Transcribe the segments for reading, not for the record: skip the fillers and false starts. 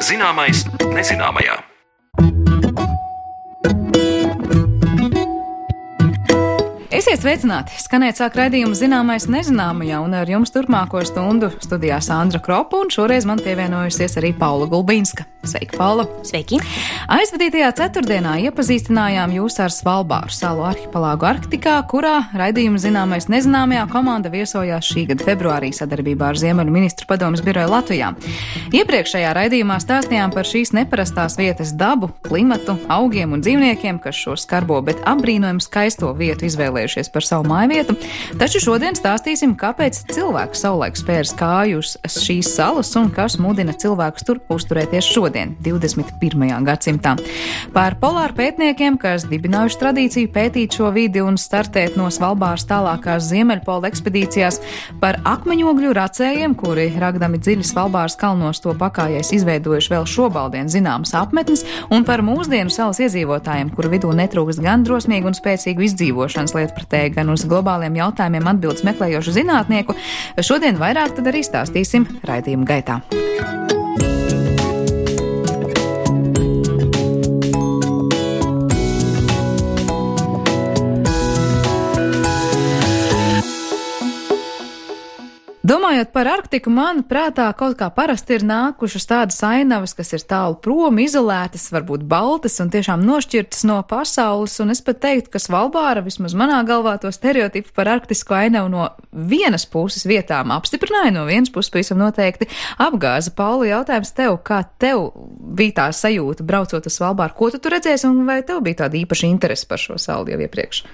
Zināmais nezināmajā. Esiet sveicināti! Skanēt sāk raidījumu Zināmais nezināmajā, un ar jums turpmāko stundu studijā Sandra Kropa, un šoreiz man pievienojusies arī Paula Gulbīnska. Sveika, Paula! Sveiki! Aizvadītajā ceturtdienā iepazīstinājām jūs ar Svalbāru salu arhipelāgu Arktikā, kurā raidījumu Zināmais nezināmajā komanda viesojās šī gada februārī sadarbībā ar Ziemeļu ministru padomes biroju Latvijā. Iepriekšējā raidījumā stāstījām par šīs neparastās vietas dabu, klimatu, augiem un dzīvniekiem, kas šo skarbo, bet apbrīnojumu skaisto vietu izvēlējušies par savu mājvietu, taču šodien stāstīsim, kāpēc cilvēks savulaik spērs kāju uz šīs salas un kas mudina cilvēkus tur uzturēties šodien, 21. gadsimtā. Par polāru pētniekiem, kas dibinājuši tradīciju pētīt šo vidi un startēt no Svalbāras tālākās Ziemeļpola ekspedīcijās, par akmeņogļu racējiem, kuri ragdami dziļi Svalbāras kalnos to pakājais izveidojuši vēl šobaldien zināmas apmetnes, un par mūsdienu salas iedzīvotājiem, kuru vidū netrūkst gan drosmīgu un spēcīgu izdzīvošanas lietpratēju, gan uz globāliem jautājumiem atbildes meklējošu zinātnieku. Šodien vairāk tad arī stāstīsim raidījuma gaitā. Domājot par Arktiku, man prātā kaut kā parasti ir nākušas tādas ainavas, kas ir tālu prom, izolētas, varbūt baltas un tiešām nošķirtas no pasaules, un es pat teiktu, ka Svalbāra, vismaz manā galvā, to stereotipu par arktisko ainavu no vienas puses vietām apstiprināja, no vienas puses pavisam noteikti apgāza. Paula, jautājums tev, kā tev bija tā sajūta braucot uz Svalbāru? Ko tu tur redzēsi, un vai tev bija tāda īpaša interese par šo salu jau iepriekš?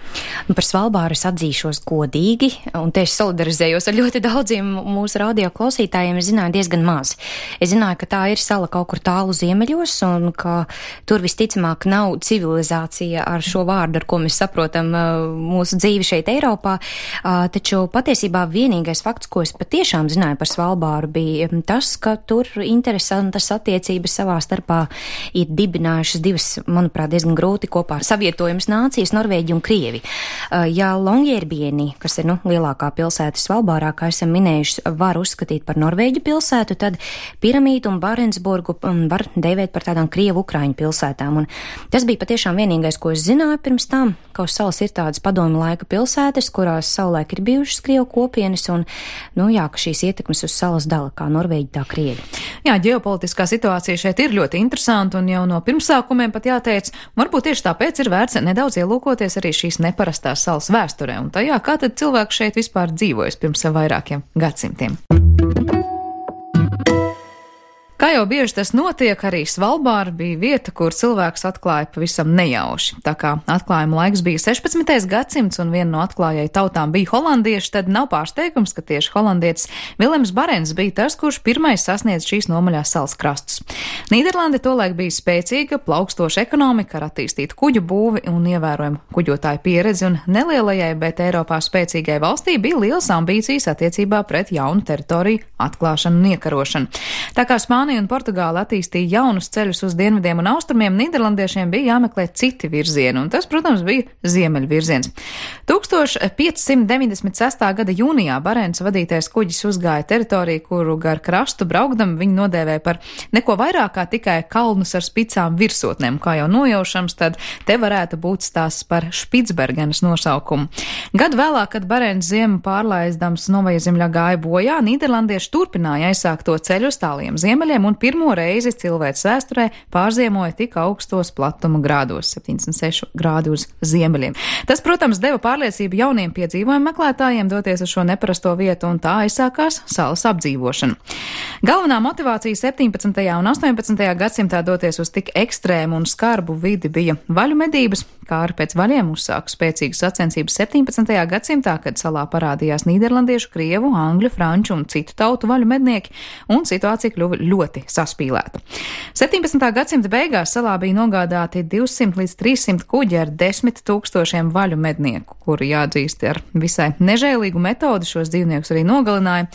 Par Svalbāru es atzīšos godīgi, un tieši solidarizējos ar ļoti daudziem mūsu radio klausītājiem. Es zināju diezgan maz. Es zināju, ka tā ir sala kaut kur tālu ziemeļos, un ka tur visticamāk nav civilizācija ar šo vārdu, ar ko mēs saprotam mūsu dzīvi šeit Eiropā. Taču patiesībā vienīgais fakts, ko es patiešām zināju par Svalbāru, bija tas, ka tur interesantas attiecības savā starpā ir dibinājušas divas, manuprāt, diezgan grūti kopā savietojamas nācijas, Norvēģi un Krievi. Ja Longyearbyeni, kas ir lielākā pilsēta Svalbārā, kā esam minējuši, var uzskatīt par Norvēģu pilsētu, tad Piramīdu un Barentsburgu var dēvēt par tādām Krievu-Ukraiņu pilsētām. Un tas bija patiešām vienīgais, ko es zināju pirms tam, ka uz salas ir tādas padomju laika pilsētas, kurās savulaik ir bijušas Krievu kopienas, un, ka šīs ietekmes uz salas dala kā Norvēģi, tā Krievi. Jā, ģeopolitiskā situācija šeit ir ļoti interesanta, un jau no pirmsākumiem pat jāteic, varbūt tieši tāpēc ir vērts nedaudz ielūkoties arī šīs neparastās salas vēsturē, un tajā, kā tad cilvēki šeit vispār dzīvojas pirms vairākiem gadsimtiem. Kā jau bieži tas notiek, arī Svalbāra bija vieta, kur cilvēks atklāja pavisam nejauši. Tā kā atklājuma laiks bija 16. gadsimts un viena no atklājēju tautām bija holandieši, tad nav pārsteigums, ka tieši holandietis Vilems Barents bija tas, kurš pirmais sasniedz šīs nomaļās salas krastus. Nīderlande tolaik bija spēcīga, plaukstoša ekonomika ar attīstītu kuģu būvi un ievērojumu kuģotāju pieredzi, un nelielajai, bet Eiropā spēcīgai valstī bija lielas ambīcijas attiecībā pret jaunu teritoriju atklāšanu un iekarošanu. Tā kā Spānija un Portugāla attīstīja jaunus ceļus uz dienvidiem un austrumiem, nīderlandiešiem bija jāmeklē citi virzieni, un tas, protams, bija ziemeļu virziens. 1596. gada jūnijā Barents vadītais kuģis uzgāja teritoriju, kuru gar krastu braukdam viņi nodēvēja par neko vairāk kā tikai kalnus ar spicām virsotnēm. Kā jau nojaušams, tad te varētu būt stāsts par Špicbergenas nosaukumu. Gadu vēlāk, kad Barents ziemu pārlaizdams Novajzemļā gāja bojā, nīderlandieši turpināja aizsākt to ceļu uz tāliem ziemeļiem, un pirmo reizi cilvēces vēsturē pārziemoja tik augstos platuma grādos, 76 grādi uz ziemeļiem. Tas, protams, deva pārliecību jauniem piedzīvojumu meklētājiem doties uz šo neparasto vietu, un tā aizsākās salas apdzīvošana. Galvenā motivācija 17. un 18. gadsimtā doties uz tik ekstrēmu un skarbu vidi bija vaļu medības, kā arī pēc vaļiem uzsāka spēcīgas sacensības 17. gadsimtā, kad salā parādījās nīderlandiešu, krievu, angļu, franču un citu tautu vaļu mednieki, un situācija kļuva ļoti saspīlēta. 17. gadsimta beigās salā bija nogādāti 200 līdz 300 kuģi ar 10 000 vaļu mednieku, kuri jāatzīst ar visai nežēlīgu metodi šos dzīvniekus arī nogalināja.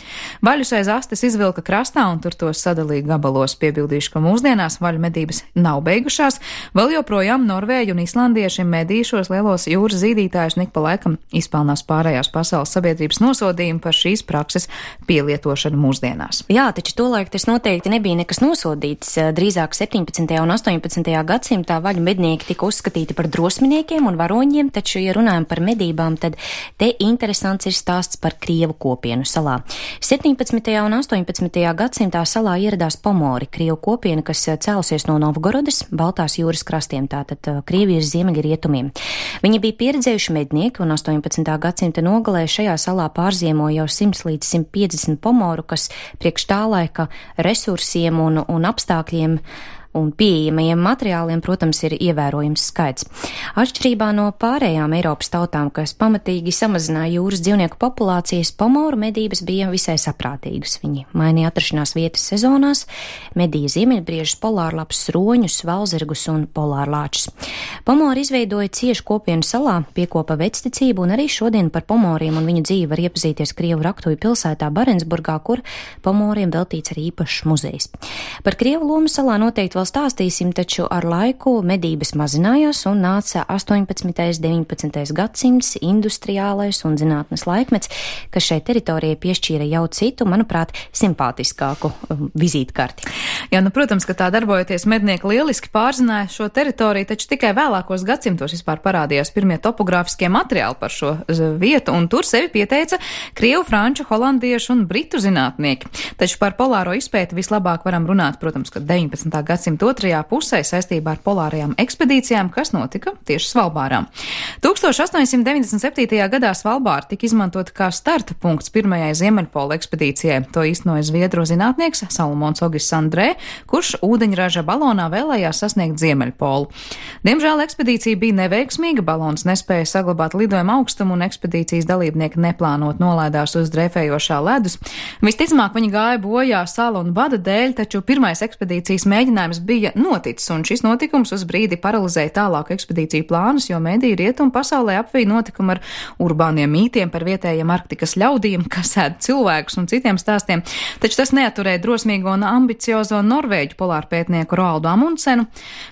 Vaļus aiz astes izvilka krastā un tur tos sadalīja gabalos. Piebildīšu, ka mūsdienās vaļu medības nav beigušās, vēl joprojām norvēģi un islandieši šim medī šos lielos jūras zīdītājus un ik pa laikam izpelnās pārējās pasaules sabiedrības nosodījumu par šīs prakses pielietošanu mūsdienās. Jā, taču tolaik tas noteikti nebija nekas nosodīts. Drīzāk 17. un 18. gadsimtā vaļu mednieki tika uzskatīti par drosminiekiem un varoņiem, taču, ja runājam par medībām, tad te interesants ir stāsts par Krievu kopienu salā. 17. un 18. gadsimtā salā ieradās pomori, Krievu kopiena, kas cēlusies no Novgorodas, Baltās jūras krastiem, tātad Krievijas ziemeļrietumiem. Viņi bija pieredzējuši mednieki un 18. gadsimta nogalē šajā salā pārziemoja jau 100 līdz 150 pomoru, kas priekš tā laika resursiem un apstākļiem un pieejamajiem materiāliem, protams, ir ievērojams skaits. Atšķirībā no pārējām Eiropas tautām, kas pamatīgi samazināja jūras dzīvnieku populācijas, pomoru medības bija visai saprātīgas. Viņi mainīja atrašanās vietas sezonās, medīja ziemeļbriežus, polārlapus, roņus, valzirgus un polārlāčus. Pomori izveidoja ciešu kopienu salā, piekopa vecticību, un arī šodien par pomoriem un viņu dzīvi var iepazīties Krievu raktuvi pilsētā Barentsburgā, kur pomoriem veltīts arī īpašs muzejs. Par Krievu lomu salā noteikti vēl stāstīsim, taču ar laiku medības mazinājās un nāca 18. 19. gadsimts, industriālais un zinātnes laikmets, kas šai teritorijai piešķīra jau citu, manuprāt, simpātiskāku vizītkarti. Jā, protams, ka tā darbojoties mednieki lieliski pārzināja šo teritoriju, taču tikai vēlākos gadsimtos vispār parādījās pirmie topogrāfiskie materiāli par šo vietu, un tur sevi pieteica krievu, franču, holandiešu un britu zinātnieki. Taču par polāro izpēti vislabāk varam runāt, protams, ka 19. gadsimta otrajā pusē saistībā ar polārajām ekspedīcijām, kas notika tieši Svalbārā. 1897. gadā Svalbāra tika izmantota kā starta punkts pirmajai Ziemeļpola ekspedīcijai. To īstenoja zviedru zinātnieks Salomons Ogists Andrē, kurš ūdeņraža balonā vēlējās sasniegt Ziemeļpolu. Diemžēl ekspedīcija bija neveiksmīga, balons nespēja saglabāt lidojuma augstumu un ekspedīcijas dalībnieki neplānot nolaidās uz dreifējošā ledus. Visticamāk, viņi gāja bojā sala un bada dēļ, taču pirmais ekspedīcijas mēģinājums bija noticis, un šis notikums uz brīdi paralizēja tālāku ekspedīciju plānus, jo mediji rietumu pasaulē apvīja notikumu ar urbāniem mītiem par vietējiem Arktikas ļaudīm, kas ēd cilvēkus un citiem stāstiem, taču tas neaturēja drosmīgo un ambiciozo norvēģu polārpētnieku Roaldu Amundsenu.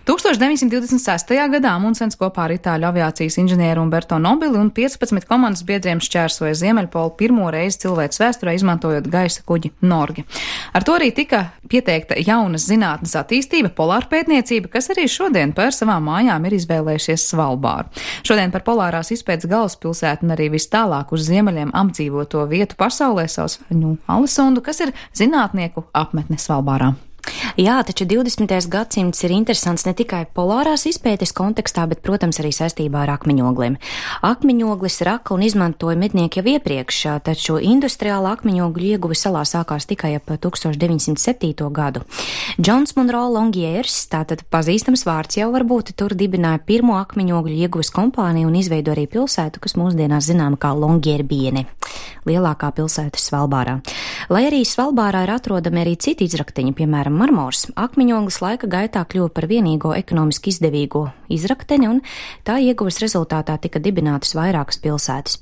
1926. gadā Amundsens kopā ar itāļu aviācijas inženieru Umberto Nobili un 15 komandas biedriem šķērsoja Ziemeļpolu pirmo reizi cilvēces vēsturē, izmantojot gaisa kuģi Norgi. Ar to arī tika pieteikta jaunas zinātnes attīstība, polārpētniecība, kas arī šodien par savām mājām ir izvēlējušies Svalbāru. Šodien par polārās izpētes galvaspilsētu un arī vis tālāk uz ziemeļiem apdzīvoto vietu pasaulē sauc Alesundu, kas ir zinātnieku apmetne Svalbārā. Jā, taču 20. gadsimts ir interesants ne tikai polārās izpētes kontekstā, bet, protams, arī saistībā ar akmeņogliem. Akmeņoglis raka un izmantoja mednieki jau iepriekš, taču industriāla akmeņogļu ieguve salā sākās tikai ap 1907. gadu. Džons Monroe Longiers, tātad pazīstams vārds jau varbūt, tur dibināja pirmo akmeņogļu ieguves kompāniju un izveidoja arī pilsētu, kas mūsdienās zināma kā Longierbiene, lielākā pilsēta Svalbārā. Lai arī Svalbārā ir atrodami arī citi izrakteņi, piemēram, marmors, akmeņoglis laika gaitā kļuva par vienīgo ekonomiski izdevīgo izrakteni, un tā ieguves rezultātā tika dibinātas vairākas pilsētas.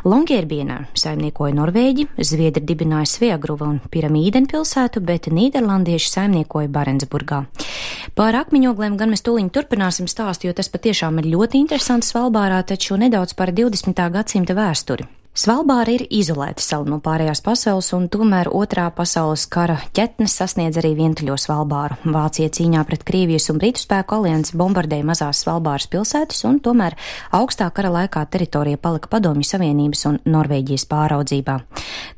Longierbienā saimniekoja norvēģi, zviedri dibināja Sveagruva un Piramīden pilsētu, bet nīderlandieši saimniekoja Barentsburgā. Par akmeņogliem gan mēs tūliņ turpināsim stāstu, jo tas patiešām ir ļoti interesants Svalbārā, taču nedaudz par 20. gadsimta vēsturi. Svalbāra ir izolēta sala no pārējās pasaules, un tomēr otrā pasaules kara ķetnes sasniedz arī vientuļo Svalbāru. Vācija cīņā pret Krievijas un Britu spēku aliansi bombardēja mazās Svalbāras pilsētas, un tomēr augstā kara laikā teritorija palika Padomju Savienības un Norvēģijas pāraudzībā.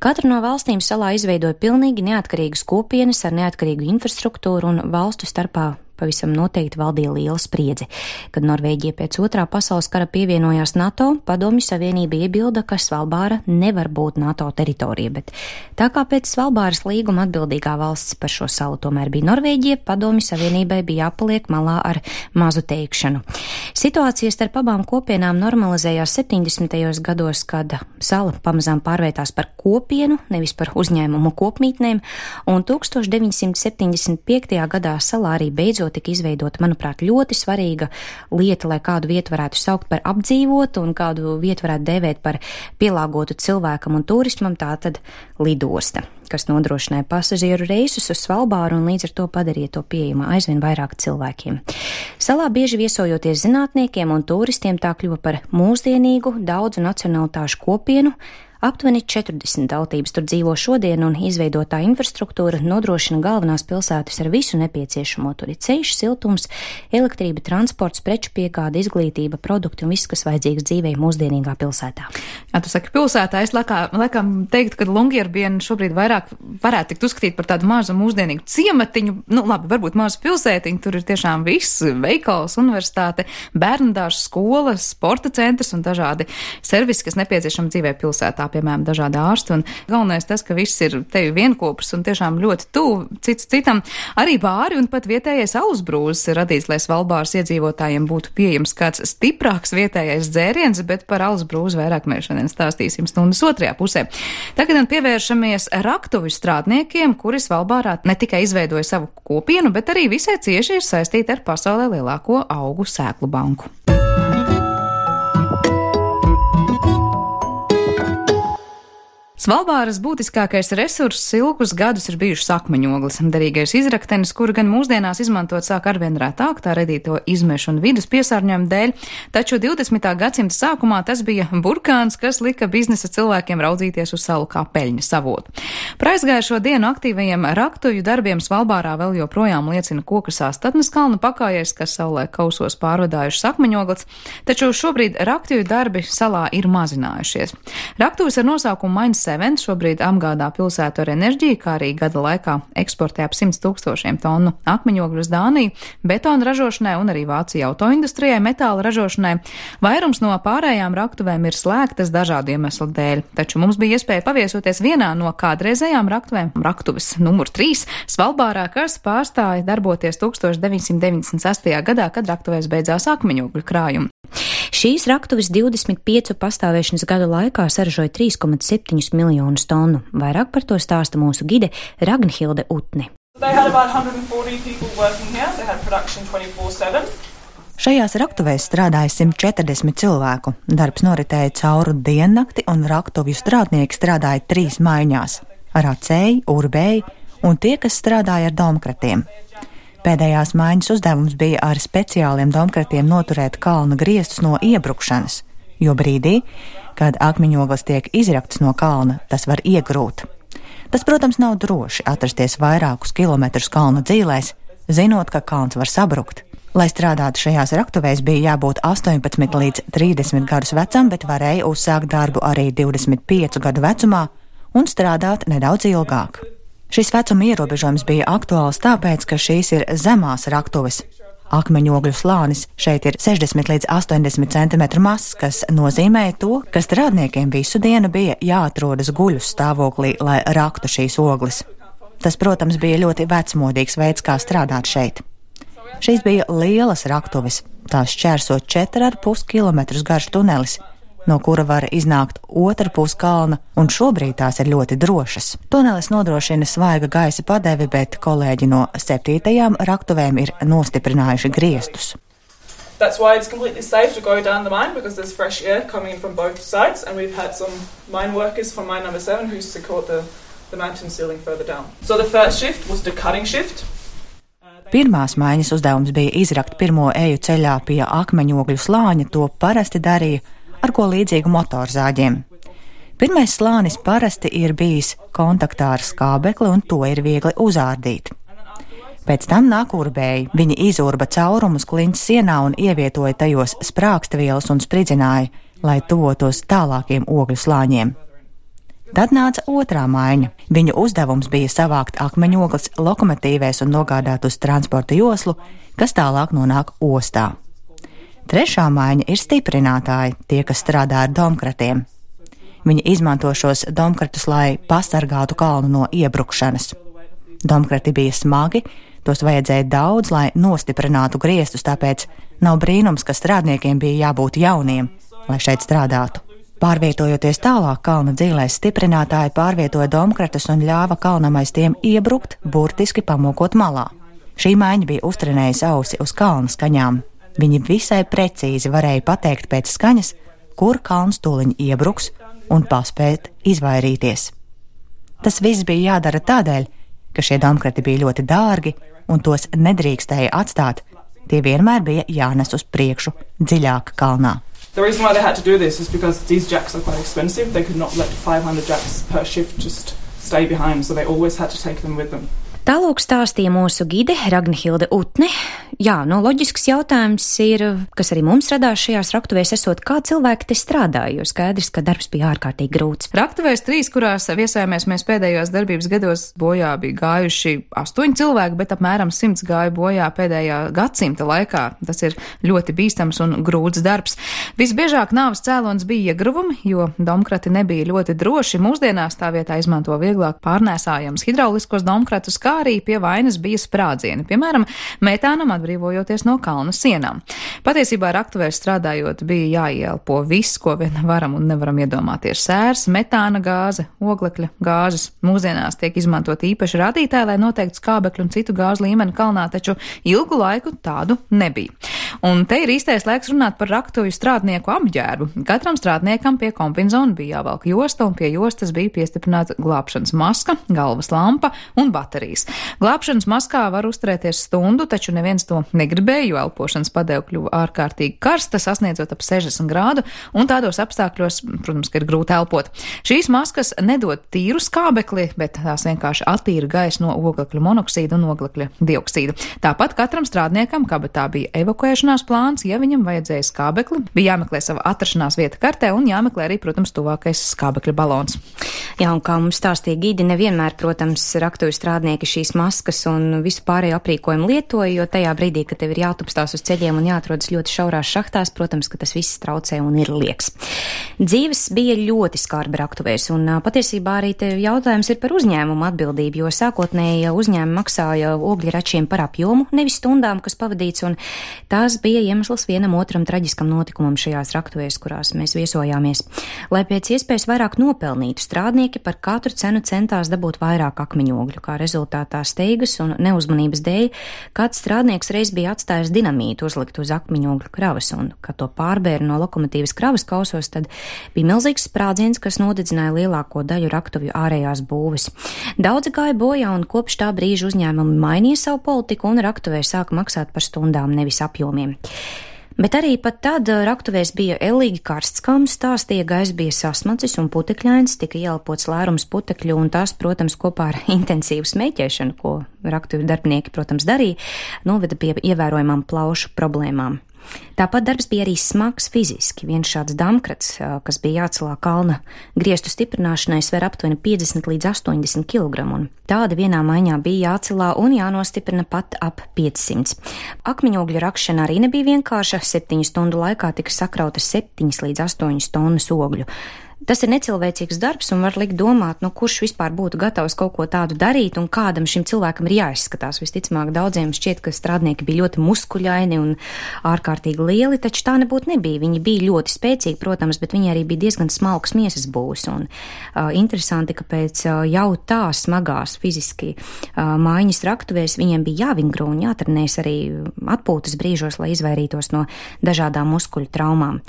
Katra no valstīm salā izveidoja pilnīgi neatkarīgas kopienas ar neatkarīgu infrastruktūru, un valstu starpā pavisam noteikti valdīja liela spriedze. Kad Norvēģija pēc otrā pasaules kara pievienojās NATO, Padomju Savienība iebilda, ka Svalbāra nevar būt NATO teritorija, bet tā kā pēc Svalbāras līguma atbildīgā valsts par šo salu tomēr bija Norvēģija, Padomju Savienībai bija jāpaliek malā ar mazu teikšanu. Situācija starp abām kopienām normalizējās 70. gados, kad sala pamazām pārvērtās par kopienu, nevis par uzņēmumu kopmītnēm, un 1975. gadā salā arī beidzot beidzot tika izveidota, manuprāt, ļoti svarīga lieta, lai kādu vietu varētu saukt par apdzīvotu un kādu vietu varētu dēvēt par pielāgotu cilvēkam un turismam, tātad lidosta, kas nodrošināja pasažieru reisus uz Svalbāru un līdz ar to padarīja to pieejamu aizvien vairāk cilvēkiem. Salā bieži viesojoties zinātniekiem un turistiem tā kļuva par mūsdienīgu daudzu nacionalitāšu kopienu. Aptuveni 40 tautības tur dzīvo šodien, un izveidotā infrastruktūra nodrošina galvenās pilsētas ar visu nepieciešamo. Tur ir ceļš, siltums, elektrība, transports, preču piegāde, izglītība, produkti un viss, kas vajadzīgs dzīvei mūsdienīgā pilsētā. Jā, tu saki pilsētā, es laikam teiktu, ka Longyearbyen šobrīd vairāk varētu tikt uzskatīt par tādu mazu mūsdienīgu ciematiņu, labi, varbūt mazu pilsētiņu, tur ir tiešām viss, veikals, universitāte, bērnudārs, skola, sporta centrs un dažādi servisi, kas nepieciešami dzīvē pilsētā. Piemēram, dažādi ārsti, un galvenais tas, ka viss ir tevi vienkopus un tiešām ļoti tuvu cits citam. Arī bāri un pat vietējais alusbrūzes ir radīts, lai Svalbāras iedzīvotājiem būtu pieejams kāds stiprāks vietējais dzēriens, bet par alusbrūzi vairāk mēs šodien stāstīsim stundas otrajā pusē. Tagad pievēršamies raktuvi strādniekiem, kuri Svalbārā ne tikai izveidoja savu kopienu, bet arī visai cieši ir saistīti ar pasaulē lielāko augu sēklu banku. Svalbāras būtiskākais resurss ilgus gadus ir bijušas akmeņogles, derīgais izraktenis, kuru gan mūsdienās izmantot sāk arvien retāk, tā radīto izmešu un vidas piesārņojumu dēļ, taču 20. gadsimta sākumā tas bija burkāns, kas lika biznesa cilvēkiem raudzīties uz salu kā peļņas avotu. Par aizgājušo dienu aktīvajiem raktuvju darbiem Svalbārā vēl joprojām liecina koka Sāstatnes kalna pakājais, kas saulē kausos pārvadājušas akmeņogles, taču šobrīd raktuvju darbi salā ir mazinājušies. Raktuvis ar nosaukumu Mainz šobrīd apgādā pilsētu ar enerģiju, kā arī gada laikā eksportē ap 100 000 tonu akmeņogļu uz Dāniju, betona ražošanai un arī Vācija autoindustrijai, metāla ražošanai. Vairums no pārējām raktuvēm ir slēgtas dažādu iemeslu dēļ, taču mums bija iespēja paviesoties vienā no kādreizējām raktuvēm, raktuves numur 3, Svalbārā, kas pārstāja darboties 1998. gadā, kad raktuvēs beidzās akmeņogļu krājumi. Šīs raktuves 25 pastāvēšanas gadu laikā saražoja 3,7 miljonus tonu. Vairāk par to stāsta mūsu gide Ragnhilde Utne. Šajās raktuvēs strādāja 140 cilvēku. Darbs noritēja cauri diennakti un raktuvju strādnieki strādāja 3 maiņās – racēji, urbēji un tie, kas strādāja ar domkratiem. Pēdējās maiņas uzdevums bija ar speciāliem domkratiem noturēt kalna griestus no iebrukšanas, jo brīdī, kad akmeņogles tiek izraktas no kalna, tas var iegrūt. Tas, protams, nav droši atrasties vairākus kilometrus kalna dzīlēs, zinot, ka kalns var sabrukt. Lai strādātu šajās raktuvēs, bija jābūt 18 līdz 30 gadus vecam, bet varēja uzsākt darbu arī 25 gadu vecumā un strādāt nedaudz ilgāk. Šis vecuma ierobežojums bija aktuāls tāpēc, ka šīs ir zemās raktuves. Akmeņogļu slānis šeit ir 60 līdz 80 cm mazs, kas nozīmē to, ka strādniekiem visu dienu bija jāatrodas guļu stāvoklī, lai raktu šīs ogles. Tas, protams, bija ļoti vecmodīgs veids, kā strādāt šeit. Šīs bija lielas raktuves, tās šķērsot 4,5 km garš tunelis, no kura var iznākt otra puse kalna, un šobrīd tās ir ļoti drošas. Tunelis nodrošina svaiga gaisa padevi, bet kolēģi no 7. raktuvēm ir nostiprinājuši griestus. That's why it's completely safe to go down the mine, because there's fresh air coming in from both sides, and we've had some mine workers from mine number 7 who secured the mountain ceiling further down. So the first shift was the cutting shift. Pirmās maiņas uzdevums bija izrakt pirmo eju ceļā pie akmeņogļu slāņa, to parasti darīja ar ko līdzīgu motorzāģiem. Pirmais slānis parasti ir bijis kontaktā ar skābekli, un to ir viegli uzārdīt. Pēc tam nāk urbēji. Viņi izurba caurumus klints sienā un ievietoja tajos sprāgstvielas un spridzināja, lai tuvotos tālākiem ogļu slāņiem. Tad nāca otrā maiņa. Viņu uzdevums bija savākt akmeņogles lokomotīvēs un nogādāt uz transporta joslu, kas tālāk nonāk ostā. Trešā maiņa ir stiprinātāji, tie, kas strādā ar domkratiem. Viņi izmanto šos domkratus, lai pasargātu kalnu no iebrukšanas. Domkrati bija smagi, tos vajadzēja daudz, lai nostiprinātu griestus, tāpēc nav brīnums, ka strādniekiem bija jābūt jauniem, lai šeit strādātu. Pārvietojoties tālāk kalna dzīlēs, stiprinātāji pārvietoja domkratus un ļāva kalnam aiz tiem iebrukt, burtiski pamokot malā. Šī maiņa bija uztrenējusi ausi uz kalna skaņām. Viņi visai precīzi varēja pateikt pēc skaņas, kur kalns tūliņ iebruks un paspēt izvairīties. Tas viss bija jādara tādēļ, ka šie domkrati bija ļoti dārgi un tos nedrīkstēja atstāt. Tie vienmēr bija jānes uz priekšu, dziļāk kalnā. The reason why they had to do this is because these jacks are quite expensive. They could not let 500 jacks per shift just stay behind, so they always had to take them with them. Tālūk stāstīja mūsu gide Ragnhilde Utne. Jā, loģisks jautājums ir, kas arī mums radās šajās raktuvēs esot, kā cilvēki te strādāja, jo skaidrs, ka darbs bija ārkārtīgi grūts. Raktuvēs 3, kurās viesājāmies mēs pēdējos darbības gados, bojā bija gājuši 8 cilvēki, bet apmēram 100 gāja bojā pēdējā gadsimta laikā. Tas ir ļoti bīstams un grūts darbs. Visbiežāk nāves cēlons bija iegruvumi, jo domkrati nebija ļoti droši. Mūsdienās tā vietā izmanto vieglāk pārnēsājams hidrauliskos domkratus, kā arī pie vainas bija sprādzieni, piemēram, metānam atbrīvojoties no kalna sienām. Patiesībā raktuvēs strādājot bija jāielpo viss, ko vien varam un nevaram iedomāties. Sērs, metāna gāze, oglekļa gāzes. Mūsdienās tiek izmantot īpaši rādītāji, lai noteiktu skābekļu un citu gāzu līmeni kalnā, taču ilgu laiku tādu nebija. Un te ir īstais laiks runāt par raktuvju strādnieku apģērbu. Katram strādniekam pie kombinzona bija jāvelk josta, un pie jostas bija piestiprināta glābšanas maska, galvas lampa un baterijas. Glābšanas maskā var uzturēties stundu, taču neviens to negribēja, jo elpošanas padeva kļuva ārkārtīgi karsta, sasniedzot ap 60 grādu, un tādos apstākļos, protams, ka ir grūti elpot. Šīs maskas nedod tīru skābekli, bet tās vienkārši attīra gaisu no oglekļa monoksīda un oglekļa dioksīda. Tāpat katram strādniekam kabatā bija evakuēšanās plāns, ja viņam vajadzēja skābekli, bija jāmeklē sava atrašanās vieta kartē un jāmeklē arī, protams, tuvākais skābekļa balons. Jā, un kā mums stāstīja gidi, nevienmēr, protams, raktuvju strādnieki šīs maskas un visu pārējo aprīkojumu lietoja, jo tajā brīdī, kad tev ir jātupstās uz ceļiem un jāatrodas ļoti šaurās šahtās, protams, ka tas viss traucē un ir lieks. Dzīves bija ļoti skarbi raktuvēs, un patiesībā arī te jautājums ir par uzņēmumu atbildību, jo sākotnēji uzņēmumi maksāja ogļračiem par apjomu, nevis stundām, kas pavadīts, un tās bija iemesls vienam otram traģiskam notikumam šajās raktuvēs, kurās mēs viesojāmies. Lai pēc iespējas vairāk nopelnītu, strādnieki par katru cenu centās dabūt vairāk akmeņogļu, kā rezultātā steigas un neuzmanības dēļ kāds strādnieks reiz bija atstājis dinamītu uzlikt uz akmeņogļu kravas, un, kad to pārbēra no lokomotīvas kravas kausos, tad bija milzīgs sprādziens, kas nodedzināja lielāko daļu raktuvju ārējās būves. Daudzi gāja bojā, un kopš tā brīža uzņēmumi mainīja savu politiku un raktuvē sāka maksāt par stundām, nevis apjomiem. Bet arī pat tad raktuvēs bija ellīgi karsts, kā mums stāstīja, gaiss bija sasmacis un putekļains, tika ieelpots lērums putekļu, un tas, protams, kopā ar intensīvu smēķēšanu, ko raktuvju darbinieki, protams, darīja, noveda pie ievērojamām plaušu problēmām. Tāpat darbs bija arī smags fiziski. Viens šāds damkrats, kas bija jācelā kalna griestu stiprināšanai, sver aptuveni 50 līdz 80 kg, un tāda vienā maiņā bija jācelā un jānostiprina pat ap 500. Akmeņogļu rakšana arī nebija vienkārša. 7 stundu laikā tika sakrauta 7 līdz 8 tonnas ogļu. Tas ir necilvēcīgs darbs un var likt domāt, kurš vispār būtu gatavs kaut ko tādu darīt un kādam šim cilvēkam ir jāizskatās. Visticamāk, daudziem šķiet, ka strādnieki bija ļoti muskuļaini un ārkārtīgi lieli, taču tā nebūtu nebija. Viņi bija ļoti spēcīgi, protams, bet viņi arī bija diezgan smalks miesas būvs. Un interesanti, ka pēc jau tā smagās fiziski mājiņas raktuvēs viņiem bija jāvingro un jātrenēs arī atpūtas brīžos, lai izvairītos no dažādām muskuļu traumām.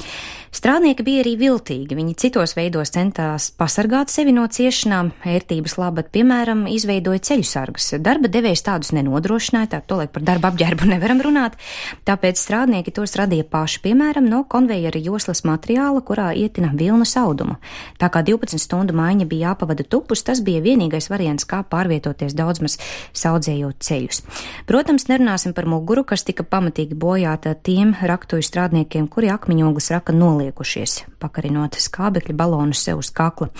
Strādnieki bija arī viltīgi. Viņi citos veidos centās pasargāt sevi no ciešanām, ērtības labad, piemēram, izveidoja ceļu sargas. Darba devējs tādus nenodrošināja, tā tolaik par darba apģērbu nevaram runāt, tāpēc strādnieki tos radīja paši, piemēram, no konvejera joslas materiāla, kurā ietina vilnas audumu. Tā kā 12 stundu maiņa bija jāpavada tupus, tas bija vienīgais variants, kā pārvietoties daudzmaz saudzējot ceļus. Protams, nerunāsim par muguru, kas tika pamatīgi bojāta tiem raktuju strādniekiem, kuri akmeņogles raka noliekušies, pakarinot skābekļa balonu sev uz kakla.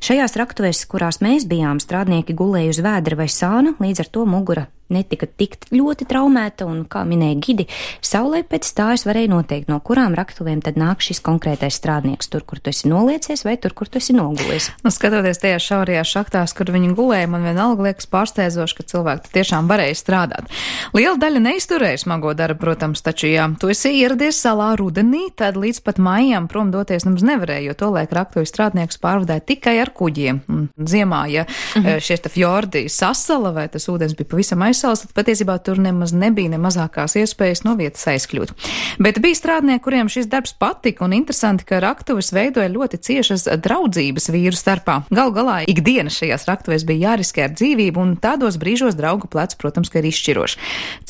Šajās raktuvēs, kurās mēs bijām, strādnieki gulēja uz vēdra vai sāna, līdz ar to mugura netika tik ļoti traumēta, un, kā minēja gidi, saulē pēc stājas varēja noteikt, no kurām raktuvēm tad nāk šis konkrētais strādnieks, tur, kur tu esi noliecies, vai tur, kur tu esi nogulies. Skatoties tajās šaurajās šachtās, kur viņi gulēja, man vienalga liekas pārsteidzoši, ka cilvēki tiešām varēja strādāt. Liela daļa neizturēja smago darbu, protams, taču, ja tu esi ieradies salā rudenī, tad līdz pat maijam prom doties nemaz nevarēja, jo tolaik raktuvi strādniekus pārvadāja tikai ar kuģiem. Un ziemā, ja šie fjordi sasala vai tas ūdens bija pavisam aizsāļots, Maisalas, tad patiesībā tur nemaz nebija ne mazākās iespējas no vietas aizkļūt. Bet bija strādnieki, kuriem šis darbs patika, un interesanti, ka raktuves veidoja ļoti ciešas draudzības vīru starpā. Galu galā ikdiena šajās raktuvēs bija jāriskē ar dzīvību, un tādos brīžos draugu plecs, protams, ka ir izšķiroši.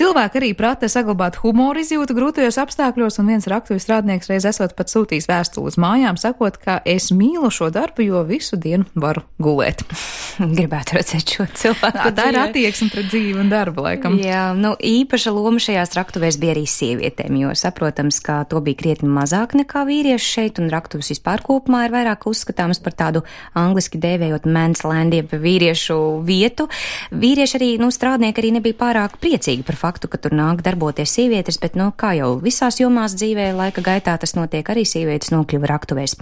Cilvēki arī prata saglabāt humoru izjūtu grūtajos apstākļos, un viens raktuves strādnieks reiz esot pat sūtījis vēstuli uz mājām, sakot, ka es mīlu šo darbu, jo visu dienu varu gulēt. Gribētu redzēt šo cilvēku. Tā ir attieksme pret dzīvi un darbu, laikam. Jā, īpaša loma šajās raktuvēs bija arī sievietēm, jo saprotams, ka to bija krietni mazāk nekā vīrieši šeit, un raktuves vispār kopumā ir vairāk uzskatāmas par tādu angliski dēvējot man's land, jeb vīriešu vietu. Vīrieši arī, strādnieki arī nebija pārāk priecīgi par faktu, ka tur nāk darboties sievietes, bet, kā jau visās jomās dzīvē, laika gaitā tas notiek, arī sievietes nokļuva raktuvēs.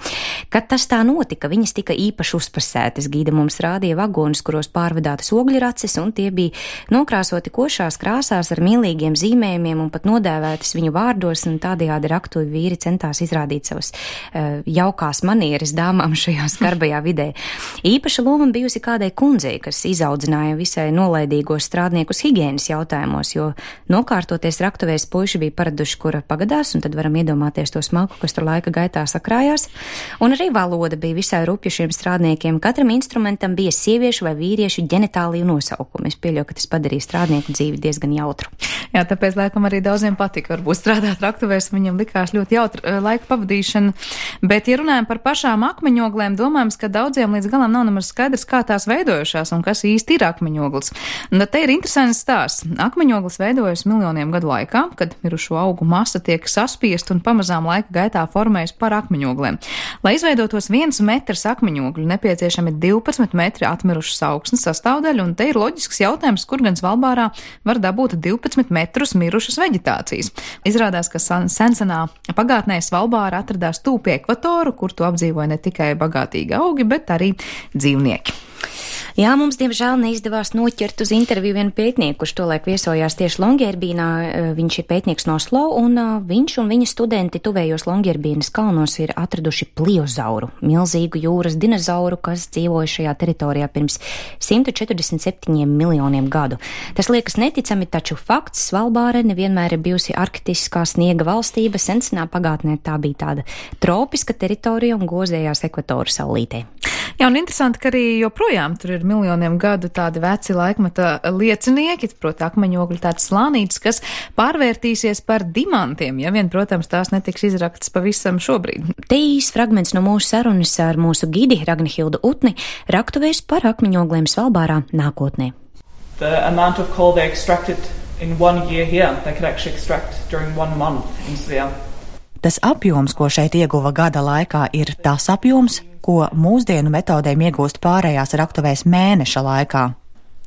Kad tas tā notika, viņas tika īpaši uzpasētas. Gīda mums rādīja vagonus, kuros pārvadātas ogļraces, un tie bija nokrāsoti košās krāsās ar mīlīgiem zīmējumiem un pat nodēvētas viņu vārdos, un tādējādi raktuvi vīri centās izrādīt savas jaukās manieres dāmām šajā skarbajā vidē. Īpaša loma bijusi kādai kundzei, kas izaudzināja visai nolaidīgos strādniekus higienas jautājumos, jo nokārtoties raktuvēs puiši bija paraduši, kura pagadās, un tad varam iedomāties to smaku, kas tur laika gaitā sakrājās. Un arī valoda bija visai rupja šiem strādniekiem. Katram instrumentam bija sieviešu vai vīriešu ģenitāliju nosaukumi. Es pieļauju, ka tas padarīja strādnieku dzīvi diezgan jautru. Jā, tāpēc laikam arī daudziem patika varbūt strādāt raktuvēs, viņam likās ļoti jautra laika pavadīšana. Bet, ja runājam par pašām akmeņoglēm, domājams, ka daudziem līdz galam nav nemaz skaidrs, kā tās veidojušās un kas īsti ir akmeņoglis. Un te ir interesants stāsts. Akmeņoglis veidojas miljoniem gadu laikā, kad mirušo augu masa tiek saspiest un pamazām laika gaitā formējas par akmeņogliem. Lai izveidotos 1 metrs akmeņogļu, nepieciešami 12 metri atmirušas augsnes sastāvdaļu, un te ir loģisks jautājums, kur gan Svalbārā var dabūt 12 metrus mirušas veģetācijas. Izrādās, ka sensenā pagātnē Svalbāra atradās tūp pie ekvatoru, kur to apdzīvoja ne tikai bagātīgi augi, bet arī dzīvnieki. Jā, mums diemžēl neizdevās noķert uz interviju vienu pētnieku, kurš tolaik viesojās tieši Longyearbyenā. Viņš ir pētnieks no Oslo, un viņš un viņa studenti tuvējos Longyearbyenas kalnos ir atraduši pliozauru, milzīgu jūras dinozauru, kas dzīvoja šajā teritorijā pirms 147 miljoniem gadu. Tas liekas neticami, taču fakts, Svalbāra nevienmēr ir bijusi arktiskā sniega valstība. Sensenā pagātnē tā bija tāda tropiska teritorija un gozējās ekvatora saulītē. Jā, un interesanti, ka arī joprojām tur ir miljoniem gadu tādi veci laikmeta liecinieki, proti akmeņogļi tāds slānītis, kas pārvērtīsies par dimantiem, ja vien, protams, tās netiks izraktas pavisam šobrīd. Te īs fragments no mūsu sarunas ar mūsu gidi Ragnhildu Utni raktuvēs par akmeņogliem Svalbārā nākotnē. The amount of coal they extracted in 1 year here, they could actually extract during 1 month in Svea. Tas apjoms, ko šeit ieguva gada laikā, ir tas apjoms, ko mūsdienu metodēm iegūst pārējās raktuvēs mēneša laikā.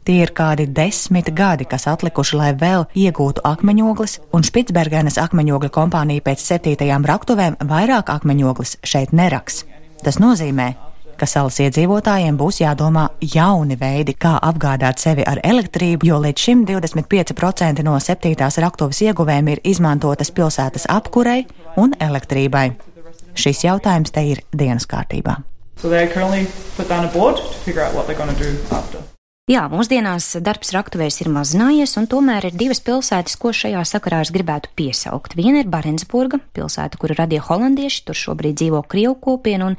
Tie ir kādi 10 gadi, kas atlikuši, lai vēl iegūtu akmeņoglis, un Špicbergenes akmeņogļu kompānija pēc 7. raktuvēm vairāk akmeņoglis šeit neraks. Tas nozīmē, ka salas iedzīvotājiem būs jādomā jauni veidi, kā apgādāt sevi ar elektrību, jo līdz šim 25% no 7. raktuves ieguvēm ir izmantotas pilsētas apkurei un elektrībai. Šis jautājums te ir dienas kārtībā. So they currently put down a board to figure out what they're going to do after. Jā, mūsdienās darbs raktuvēs ir mazinājies, un tomēr ir 2 pilsētas, ko šajā sakarā es gribētu piesaukt. Viena ir Barentsburga, pilsēta, kuru radīja holandieši, tur šobrīd dzīvo krievu kopiena, un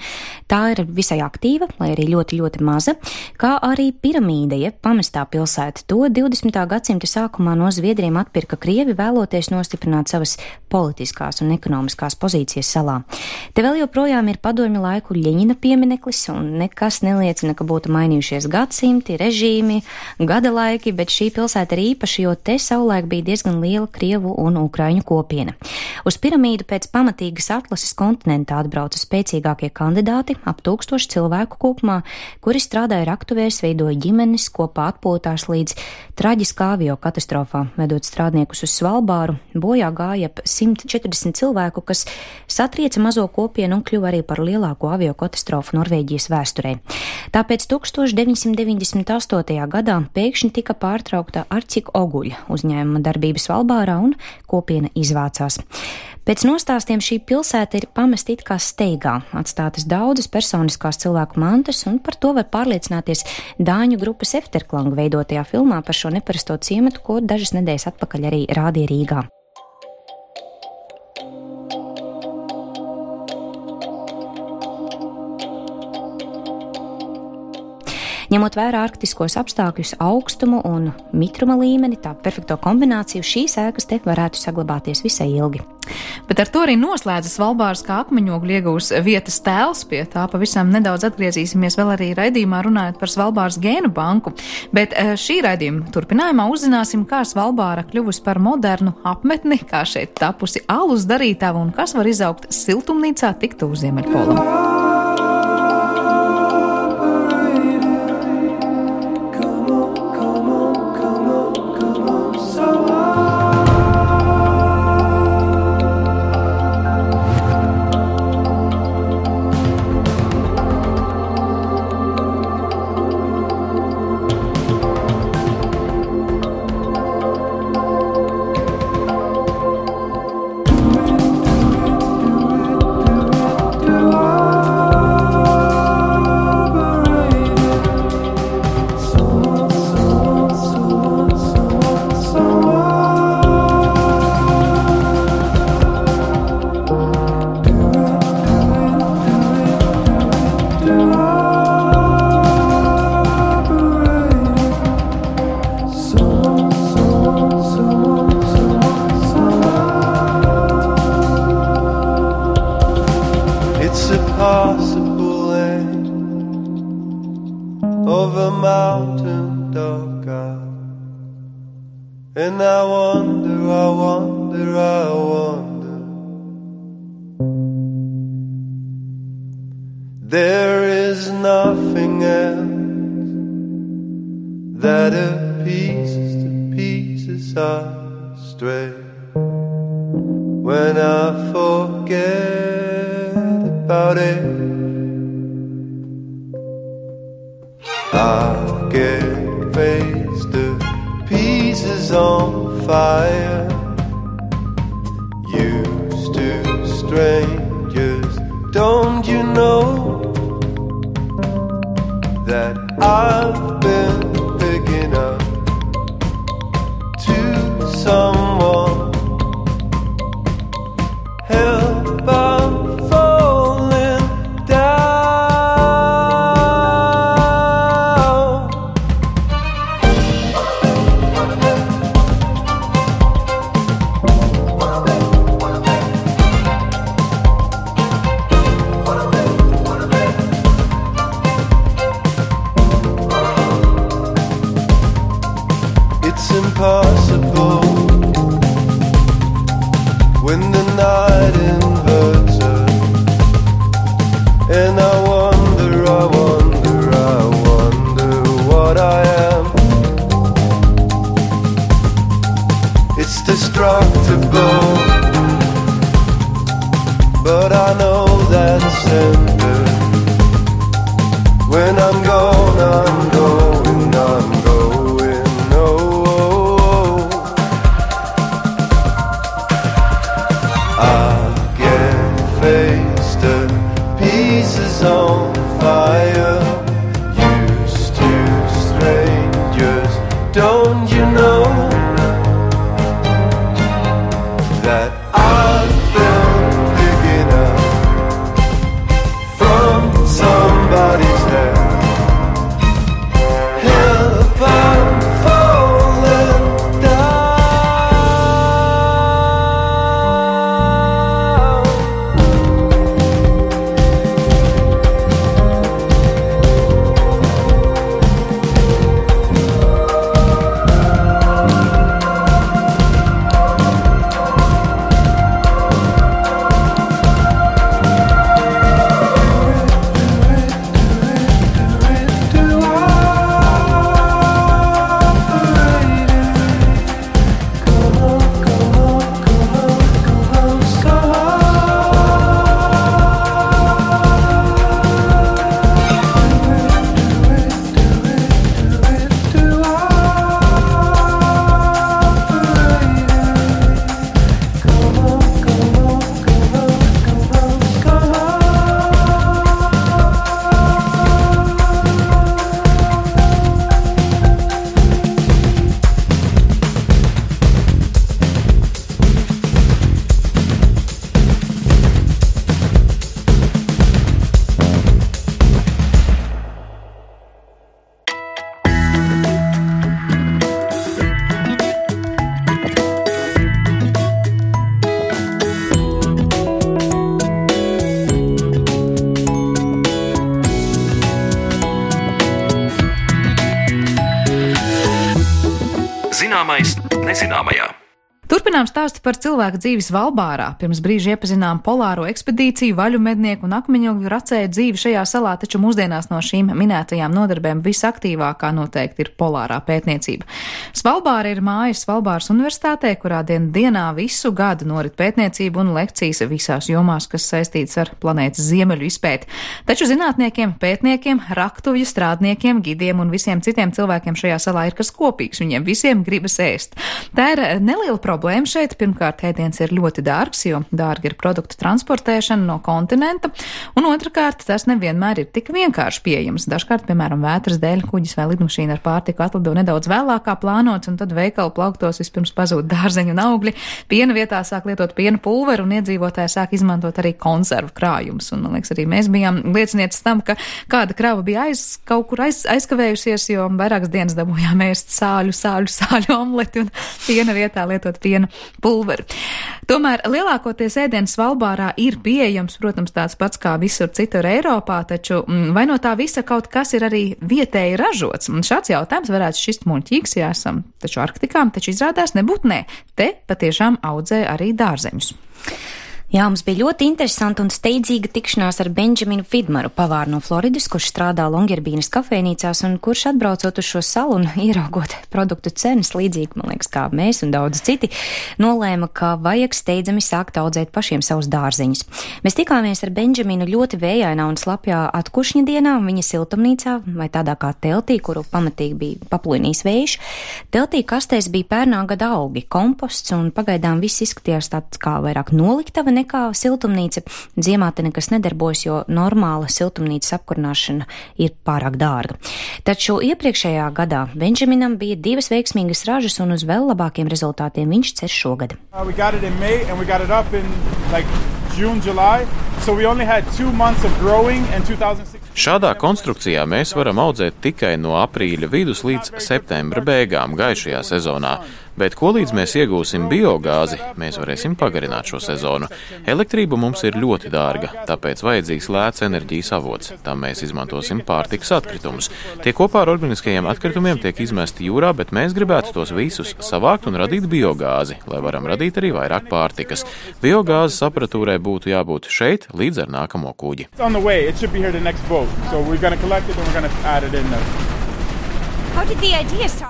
tā ir visai aktīva, lai arī ļoti, ļoti maza, kā arī Piramīda, jeb pamestā pilsēta. To 20. gadsimta sākumā no Zviedriem atpirka krievi, vēloties nostiprināt savas politiskās un ekonomiskās pozīcijas salā. Te vēl joprojām ir padomju laiku Ļeņina piemineklis, un nekas neliecina, ka būtu mainījušies gadsimti, režīmi, gada laiki, bet šī pilsēta ir īpaša, jo te savulaik bija diezgan liela krievu un ukraiņu kopiena. Uz Piramīdu pēc pamatīgas atlases kontinentā atbrauca spēcīgākie kandidāti, ap 1000 cilvēku kopumā, kuri strādāja raktuvēs, veidoja ģimenes, kopā atpūtās līdz traģiskā avio katastrofā. Vedot strādniekus uz Svalbāru, bojā gāja ap 140 cilvēku, kas satrieca mazo kopienu un kļuva arī par lielāko avio katastrofu Norvēģijas vēsturē. Tāpēc 1998. 2008. gadā pēkšņi tika pārtraukta Arcik Oguļa uzņēmuma darbības Svalbārā un kopiena izvācās. Pēc nostāstiem šī pilsēta ir pamesta it kā steigā, atstātas daudzas personiskās cilvēku mantas, un par to var pārliecināties dāņu grupas Efterklang veidotajā filmā par šo neparasto ciematu, ko dažas nedēļas atpakaļ arī rādīja Rīgā. Ņemot vērā arktiskos apstākļus, augstumu un mitruma līmeni, tā perfekto kombināciju, šīs ēkas te varētu saglabāties visai ilgi. Bet ar to arī noslēdzas Svalbāras kā akmeņogļu iegūs vietas tēls. Pie tā pavisam nedaudz atgriezīsimies vēl arī raidījumā runājot par Svalbāras gēnu banku. Bet šī raidījuma turpinājumā uzzināsim, kā Svalbāra kļuvusi par modernu apmetni, kā šeit tapusi alus darītava un kas var izaugt siltumnīcā tik tuvu Ziemeļpolam. And I wonder there is nothing else that appeases to pieces I stray when I forget about it. I get raised to pieces on fire, used to strangers. Don't you know that I've been picking up to someone? Help, I'm falling down. It's impossible when the night inverts us, and I wonder what I am. It's destructible, but I know that's ended. When I'm gone, I'm going, oh. I get face to pieces on fire, used to strangers. Don't you know that I've been picking up from somebody's head? Help, I'm falling down. Zināmais nezināmajā. Turpinām stāstu par cilvēku dzīvi Svalbārā. Pirms brīža iepazinām polāro ekspedīciju, vaļu mednieku un akmeņogļu racēju dzīvi šajā salā, taču mūsdienās no šīm minētajām nodarbēm visaktīvākā noteikti ir polārā pētniecība. Svalbāra ir mājas Svalbāras universitātē, kurā dienā visu gadu norit pētniecība un lekcijas visās jomās, kas saistītas ar planētas ziemeļu izpēti. Taču zinātniekiem, pētniekiem, raktuvju strādniekiem, gidiem un visiem citiem cilvēkiem šajā salā ir kas kopīgs. Viņiem visiem gribas ēst. Tā ir neliela problēma šeit. Pirmkārt, ēdiens ir ļoti dārgs, jo dārgi ir produktu transportēšana no kontinenta, un otrkārt, tas nevienmēr ir tik vienkārši pieejams. Dažkārt, piemēram, vētras dēļ kuģis vai lidmašīna ar pārtiku atlido nedaudz vēlāk kā plānots, un tad veikalu plauktos vispirms pazūd dārzeņu un augļi, piena vietā sāk lietot piena pulveru, un iedzīvotāji sāk izmantot arī konservu krājumus. Un, man liekas, arī mēs bijām liecinieces tam, ka kāda krava bija kaut kur aizkavējusies, jo vairākas dienas dabūjām ēst sāļu omleti un piena vietā lietot piena pulveri. Tomēr lielākoties ēdienas Svalbārā ir pieejams, protams, tāds pats kā visur citur Eiropā, taču vai no tā visa kaut kas ir arī vietēji ražots? Un šāds jautājums varētu šķist muļķīgs, ja esam taču Arktikā, taču izrādās nebūt nē. Te patiešām audzē arī dārzeņus. Jā, mums bija ļoti interesanta un steidzīga tikšanās ar Benjaminu Fidmaru, pavāru no Floridas, kurš strādā Longyearbienas kafejnīcās un kurš atbraucot uz šo salu un ieraugot produktu cenas līdzīgi, man liekas, kā mēs un daudz citi, nolēma, ka vajag steidzami sākt audzēt pašiem savus dārzeņus. Mēs tikāmies ar Benjaminu ļoti vējainā un slapjā atkušņa dienā, viņa siltumnīcā vai tādā kā teltī, kuru pamatīgi bija paplūnījis vējš. Teltī kastēs bija pērnā gada augi, komposts un pagaidām viss izskatījās tāds kā vairāk noliktava nekā siltumnīca. Ziemā te nekas nedarbojas, jo normāla siltumnīcas apkurināšana ir pārāk dārga. Taču iepriekšējā gadā Benjaminam bija 2 veiksmīgas ražas un uz vēl labākiem rezultātiem viņš cer šogad. Šādā konstrukcijā mēs varam audzēt tikai no aprīļa vidus līdz septembra beigām gaišajā sezonā. Bet ko līdz mēs iegūsim biogāzi, mēs varēsim pagarināt šo sezonu. Elektrība mums ir ļoti dārga, tāpēc vajadzīgs lēts enerģijas avots. Tam mēs izmantosim pārtikas atkritumus. Tie kopā ar organiskajiem atkritumiem tiek izmesti jūrā, bet mēs gribētu tos visus savākt un radīt biogāzi, lai varam radīt arī vairāk pārtikas. Biogāzes aparatūrai būtu jābūt šeit līdz ar nākamo kuģi.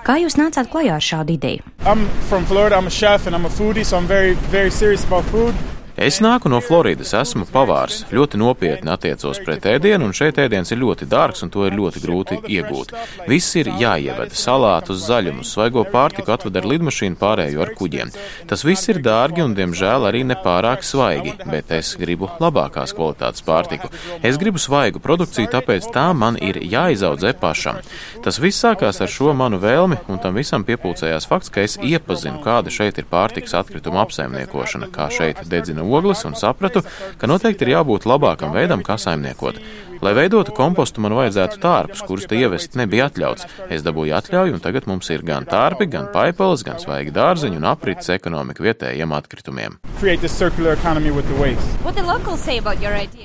Kā jūs nācāt klajā ar šādu ideju? I'm from Florida, I'm a chef and I'm a foodie, so I'm very, very serious about food. Es nāku no Floridas, esmu pavārs, ļoti nopietni attiecos pret ēdienu, un šeit ēdiens ir ļoti dārgs, un to ir ļoti grūti iegūt. Viss ir jāieved, salātus, zaļumus, svaigo pārtiku atved ar lidmašīnu, pārējo ar kuģiem. Tas viss ir dārgi un, diemžēl, arī nepārāk svaigi, bet es gribu labākās kvalitātes pārtiku. Es gribu svaigu produkciju, tāpēc tā man ir jāizaudzē pašam. Tas viss sākās ar šo manu vēlmi, un tam visam piepulcējās fakts, ka es iepazinu, kāda šeit ir pārtikas atkrituma apsaimniekošana, kā šeit dedzina ogles, un sapratu, ka noteikti ir jābūt labākam veidam, kā saimniekot. Lai veidotu kompostu, man vajadzētu tārpus, kurus te ievest nebija atļauts. Es dabūju atļauju, un tagad mums ir gan tārpi, gan paipalas, gan svaigi dārzeņi un aprits ekonomika vietējiem atkritumiem.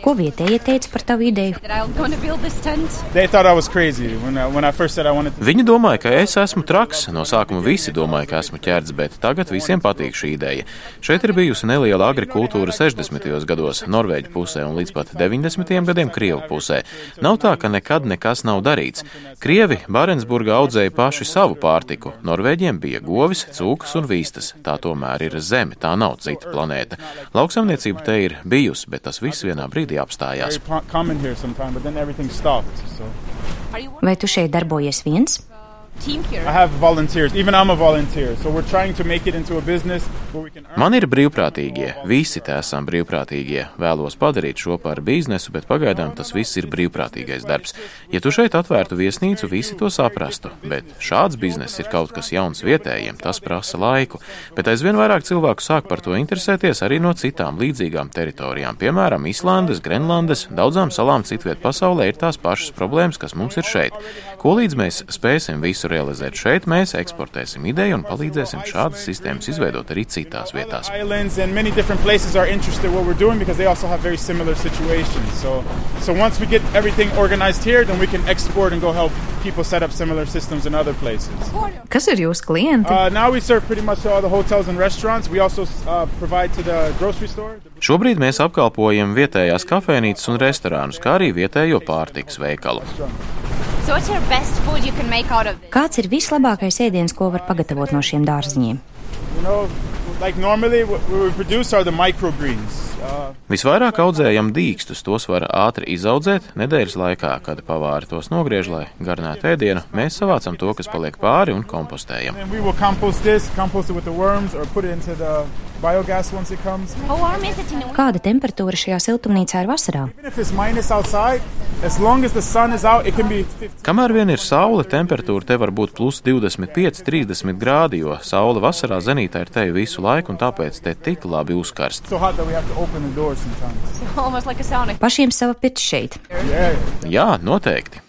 Ko vietējie teica par tavu ideju? Viņi domāja, ka es esmu traks. No sākuma visi domāja, ka esmu ķērts, bet tagad visiem patīk šī ideja. Šeit ir bijusi neliela agrikultūra 60. gados Norvēģu pusē un līdz pat 90. gadiem Krievu pusē. Nav tā, ka nekad nekas nav darīts. Krievi Barensburgā audzēja paši savu pārtiku. Norvēģiem bija govis, cūkas un vīstas. Tā tomēr ir zeme, tā nav cita planēta. Lauksaimniecība te ir bijusi, bet tas viss vienā brīdī apstājās. Vai tu šeit darbojies viens? Man ir brīvprātīgie, visi te esam brīvprātīgie. Vēlos padarīt šo par biznesu, bet pagaidām tas viss ir brīvprātīgais darbs. Ja tu šeit atvērtu viesnīcu, visi to saprastu, bet šāds bizness ir kaut kas jauns vietējiem, tas prasa laiku. Bet aizvien vairāk cilvēku sāk par to interesēties arī no citām līdzīgām teritorijām, piemēram, Islandes, Grenlandes, daudzām salām citviet pasaulē ir tās pašas problēmas, kas mums ir šeit. Ko līdz mēs spēsim visu visu realizēt šeit, mēs eksportēsim ideju un palīdzēsim šādas sistēmas izveidot arī citās vietās. So once we get everything organized here, then we can export and go help people set up similar systems in other places. Kas ir jūsu klienti? Now we serve pretty much all the hotels and restaurants. We also provide to the grocery store. Šobrīd mēs apkalpojam vietējās kafēnītes un restorānus, kā arī vietējo pārtikas veikalu. Kāds ir vislabākais ēdiens, ko var pagatavot no šiem dārziņiem? Like normally what we produce are the microgreens. Visvairāk audzējam dīkstus, tos var ātri izaudzēt nedēļas laikā, kad pavāri tos nogriež, lai garnētu ēdienu. Mēs savācam to, kas paliek pāri un kompostējam. Kāda temperatūra šajā siltumnīcā ir vasarā? Kamēr vien ir saule, temperatūra te var būt plus 25-30 grādi, jo saule vasarā zenītā ir te visu laiku un tāpēc te tik labi uzkarst. Pašiem sava pirts šeit. Jā, noteikti.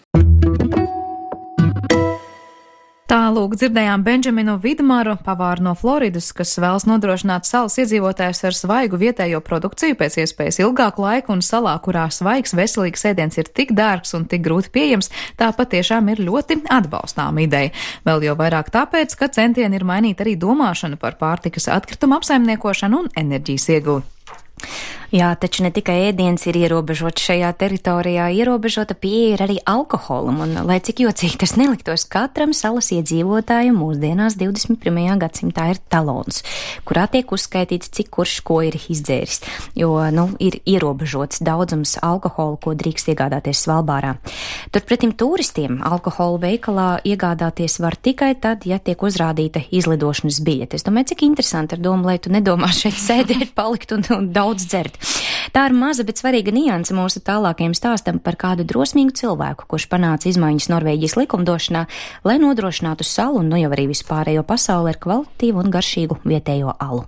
Tālūk dzirdējām Benjaminu Vidmaru, pavāru no Floridas, kas vēlas nodrošināt salas iedzīvotājus ar svaigu vietējo produkciju pēc iespējas ilgāku laiku, un salā, kurā svaigs, veselīgs ēdiens ir tik dārgs un tik grūti pieejams, tā patiešām ir ļoti atbalstāma ideja. Vēl jau vairāk tāpēc, ka centieni ir mainīt arī domāšanu par pārtikas atkritumu apsaimniekošanu un enerģijas ieguvi. Jā, taču ne tikai ēdiens ir ierobežots šajā teritorijā, ierobežota pieeja ir arī alkoholam, un, lai cik jocīgi tas neliktos, katram salas iedzīvotājam mūsdienās 21. gadsimtā ir talons, kurā tiek uzskaitīts, cik kurš ko ir izdzēris, jo, ir ierobežots daudzums alkohola, ko drīkst iegādāties Svalbārā. Turpretim turistiem alkohola veikalā iegādāties var tikai tad, ja tiek uzrādīta izlidošanas biļete. Es domāju, cik interesanti ar domu, lai tu nedomā šeit sēdēt, palikt un daudz dzert. Tā ir maza, bet svarīga nianse mūsu tālākajam stāstam par kādu drosmīgu cilvēku, kurš panāca izmaiņas Norvēģijas likumdošanā, lai nodrošinātu salu un jau arī vispārējo pasauli ar kvalitatīvu un garšīgu vietējo alu.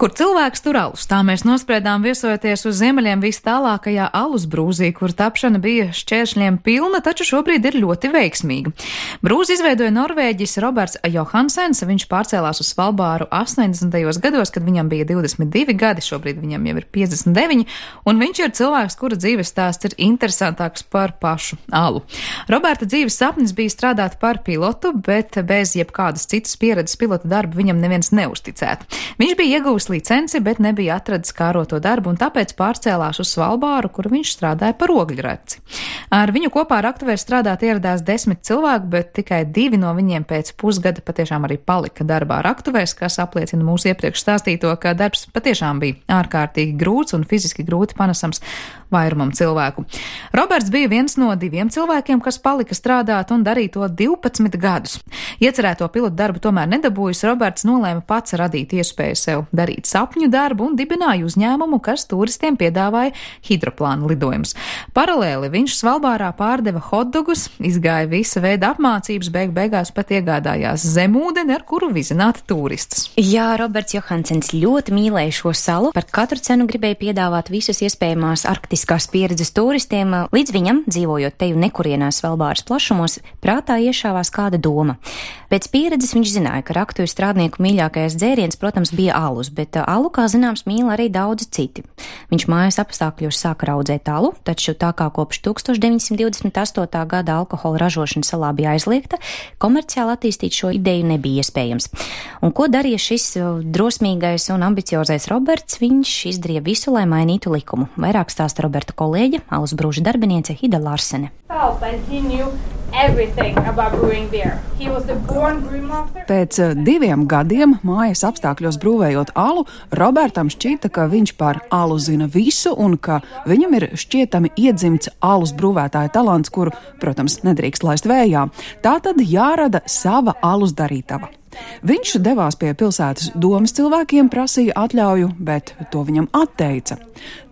Kur cilvēks tur alus? Tā mēs nospriedām viesojoties uz ziemeļiem vis tālākajā alus brūzī, kur tapšana bija šķēršļiem pilna, taču šobrīd ir ļoti veiksmīga. Brūzi izveidoja Norvēģis Roberts Johansens, viņš pārcēlās uz Svalbāru 80. gados, kad viņam bija 22 gadi, šobrīd viņam jau ir 59, un viņš ir cilvēks, kura dzīves stāsts ir interesantāks par pašu alu. Roberta dzīves sapnis bija strādāt par pilotu, bet bez jebkādas citas pieredzes pilota darbu viņam neviens neuzticētu. Viņš bija iegūst licenci, bet nebija atradis kāroto darbu un tāpēc pārcēlās uz Svalbāru, kur viņš strādāja par ogļraci. Ar viņu kopā raktuvē strādāt ieradās 10 cilvēku, bet tikai 2 no viņiem pēc pusgada patiešām arī palika darbā raktuvēs, kas apliecina mūsu iepriekš stāstīto, ka darbs patiešām bija ārkārtīgi grūts un fiziski grūti panesams vairumam cilvēku. Roberts bija viens no 2 cilvēkiem, kas palika strādāt un darīja to 12 gadus. Iecerēto pilotu darbu tomēr nedabūjis, Roberts nolēma pats radīt iespēju sev darīt sapņu darbu un dibināja uzņēmumu, kas turistiem piedāvāja hidroplāna lidojumus. Paralēli viņš Svalbārā pārdeva hotdogus, izgāja visa veida apmācības, beigās pat iegādājās zemūdeni, ar kuru vizināt turistus. Jā, Roberts Johansens ļoti mīlēja šo salu, par katru cenu gribēja piedāvāt visas iespējamās arktiskās pieredzes turistiem, līdz viņam, dzīvojot te un nekurienā Svalbāras plašumos, prātā iešāvās kāda doma. Pēc pieredzes viņš zināja, ka raktuvi strādnieku mīļākais dzēriens, protams, bija alus, bet alu, kā zināms, mīl arī daudzi citi. Viņš mājas apstākļos sāka raudzēt alu, taču tā kā kopš 1928. gada alkohola ražošana salā bija aizliegta, komerciāli attīstīt šo ideju nebija iespējams. Un ko darīja šis drosmīgais un ambiciozais Roberts? Viņš izdarīja visu, lai mainītu likumu. Vairāk stāsta Roberta kolēģe, alus brūža darbiniece Hida Larsene. Pēc 2 gadiem mājas apstākļos brūvējot alu, Robertam šķita, ka viņš par alu zina visu un ka viņam ir šķietami iedzimts alus brūvētāja talants, kuru, protams, nedrīkst laist vējā. Tā tad jārada sava alus darītava. Viņš devās pie pilsētas domas cilvēkiem, prasīja atļauju, bet to viņam atteica.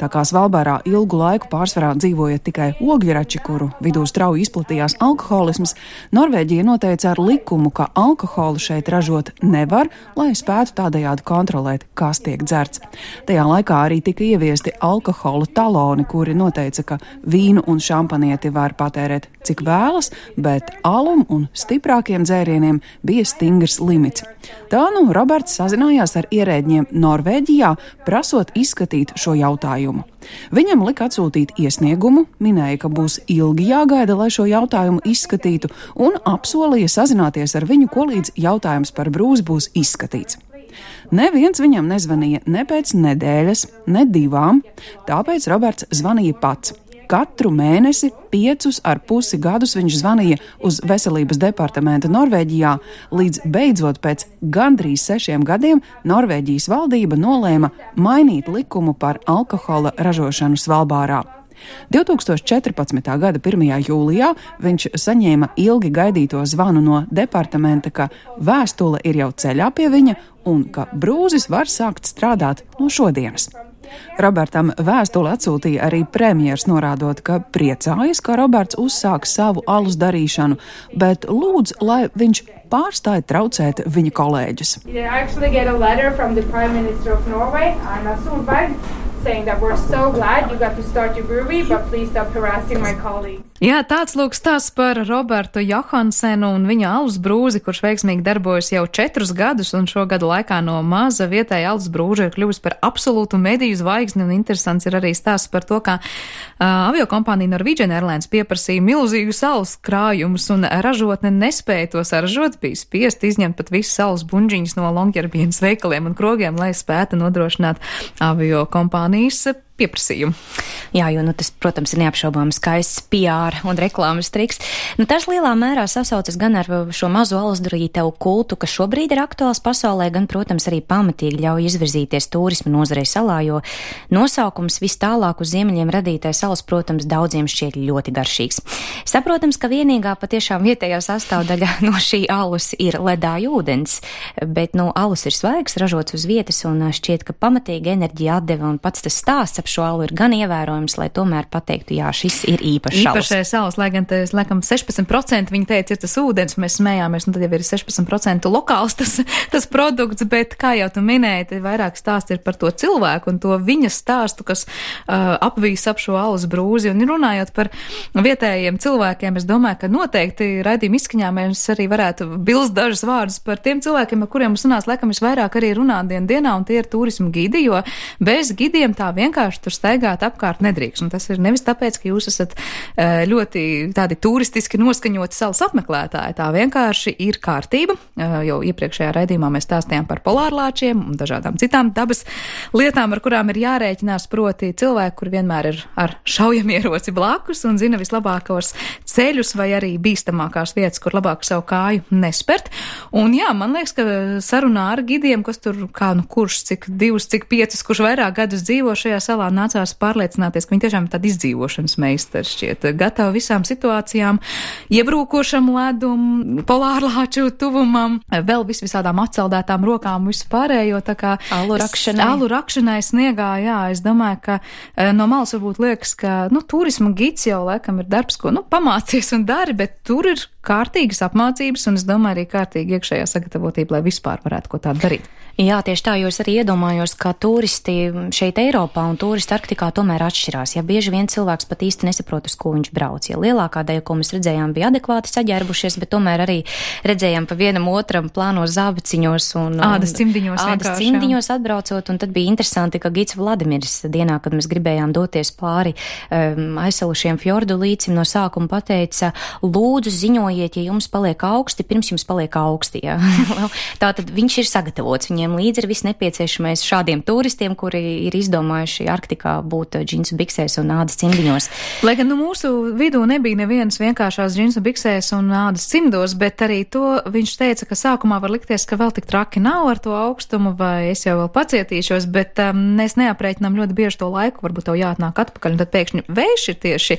Tā kā Svalbārā ilgu laiku pārsvarā dzīvoja tikai ogļrači, kuru vidū strauji izplatījās alkoholisms, Norvēģija noteica ar likumu, ka alkoholu šeit ražot nevar, lai spētu tādējādi kontrolēt, kas tiek dzerts. Tajā laikā arī tika ieviesti alkohola taloni, kuri noteica, ka vīnu un šampanieti var patērēt cik vēlas, bet alum un stiprākiem dzērieniem bija stingrs limits. Tā Roberts sazinājās ar ierēģiem Norvēģijā, prasot izskatīt šo jautājumu. Viņam lika atsūtīt iesniegumu, minēja, ka būs ilgi jāgaida, lai šo jautājumu izskatītu, un apsolīja sazināties ar viņu, ko līdz jautājums par brūzi būs izskatīts. Neviens viņam nezvanīja ne pēc nedēļas, ne 2, tāpēc Roberts zvanīja pats. Katru mēnesi 5,5 gadus viņš zvanīja uz veselības departamentu Norvēģijā, līdz beidzot pēc gandrīz 6 gadiem Norvēģijas valdība nolēma mainīt likumu par alkohola ražošanu Svalbārā. 2014. gada 1. jūlijā viņš saņēma ilgi gaidīto zvanu no departamenta, ka vēstule ir jau ceļā pie viņa un ka brūzis var sākt strādāt no šodienas. Robertam vēstuli atsūtīja arī premjers, norādot, ka priecājas, ka Roberts uzsāks savu alus darīšanu, bet lūdz, lai viņš pārstāja traucēt viņa kolēģus. Saying that we're so glad you got to start your brewery, but please stop harassing my colleagues. Jā, tāds lūk stāsts par Robertu Johansenu un viņa alus brūzi, kurš veiksmīgi darbojas jau 4 gadus, un šo gadu laikā no maza vietēja alus brūža ir kļuvusi par absolūtu mediju zvaigzni, un interesants ir arī stāsts par to, kā aviokompānija Norwegian Airlines pieprasīja milzīgus alus krājumus, un ražotne nespēja to saražot, bija spiest izņemt pat visas alus buņģiņas no Longyearbienas veikaliem un krogiem, lai spētu nodrošināt aviokompānijas pieprasījumu. Jā, jo tas, protams, ir neapšaubāms skaists PR un reklāmas triks. Tas lielā mērā sasaucas gan ar šo mazo alusdarītavu kultu, kas šobrīd ir aktuāls pasaulē, gan, protams, arī pamatīgi ļauj izvirzīties turisma nozarei salā, jo nosaukums vis tālāk uz ziemeļiem radītais alus, protams, daudziem šķiet ļoti garšīgs. Saprotams, ka vienīgā patiešām vietējā sastāvdaļa no šī alus ir ledāja ūdens, bet, alus ir svaigs, ražots uz vietas, un šķiet, ka pamatīgi enerģija atdeva, un pats tas stāsts ap šo alu ir gan ievērojams, lai tomēr pateiktu, jā, šis ir īpašs alus. Īpašais alus, lai gan tas, laikam, 16% viņi teica, ir tas ūdens, mēs smējāmies, tad jau ir 16% lokāls tas produkts, bet, kā jau tu minēji, vairāk stāsts ir par to cilvēku un to viņa stāstu, kas apvīs ap šo alus brūzi, un runājot par vietējiem cilvēkiem, es domāju, ka noteikti raidījuma izskaņā mēs arī varētu bilst dažus vārdus par tiem cilvēkiem, ar kuriem mums runās, laikam, visvairāk arī runāt dienā, un tie ir turismu gidi, jo bez gidiem tā vienkārši tur staigāt apkārt nedrīkst. Un tas ir nevis tāpēc, ka jūs esat ļoti tādi turistiski noskaņoti salas apmeklētāji. Tā vienkārši ir kārtība. Jau iepriekšējā raidījumā mēs stāstījām par polārlāčiem un dažādām citām dabas lietām, ar kurām ir jārēķinās, proti cilvēki, kur vienmēr ir ar šaujamieroci blakus un zina vislabākos ceļus vai arī bīstamākās vietas, kur labāk savu kāju nespert. Un jā, man liekas, ka sarunā ar gidiem, kas tur kurš, cik 2, cik 5, kurš vairāk gadus dzīvo šajā salā, nācās pārliecināties, ka viņi tiešām ir tādi izdzīvošanas meistari šķiet, gatavi visām situācijām, iebrūkošam ledum, polārlāču tuvumam, vēl visādām atceldētām rokām, visu pārējo, tā kā alu rakšanai sniegā, jā, es domāju, ka no malas varbūt liekas, ka, turisma gids jau laikam ir darbs, ko, pamācies un dari, bet tur ir kārtīgas apmācības, un es domāju arī kārtīgi iekšējā sagatavotība, lai vispār varētu ko tādu darīt. Jā, tieši tā, jo es arī iedomājos, ka turisti šeit Eiropā un turisti Arktikā tomēr atšķirās. Ja bieži vien cilvēks pat īsti nesaprot, uz ko viņš brauc. Ja lielākā daļa, ko mēs redzējām, bija adekvāti saģērbušies, bet tomēr arī redzējām pa vienam otram plānos zābaciņos un ādas cimdiņos atbraucot, un tad bija interesanti, ka gids Vladimirs dienā, kad mēs gribējām doties pāri aizsalušiem fjordu līcim, no sākuma pateica, lūdzu ziņojiet, ja jums paliek augsti, pirms jums paliek augsti. Ja? Tātad viņš ir sagatavots, viņam viņiem līdzi ir viss nepieciešamais šādiem turistiem, kuri ir izdomājuši Arktikā būt džinsu biksēs un ādas cimdiņos. Lai gan mūsu vidū nebija nevienas vienkāršās džinsu biksēs un ādas cimdos, bet arī to viņš teica, ka sākumā var likties, ka vēl tik traki nav ar to augstumu, vai es jau vēl pacietīšos, bet mēs neaprēķinām ļoti bieži to laiku, varbūt tev jāatnāk atpakaļ, un tad pēkšņi vējš ir tieši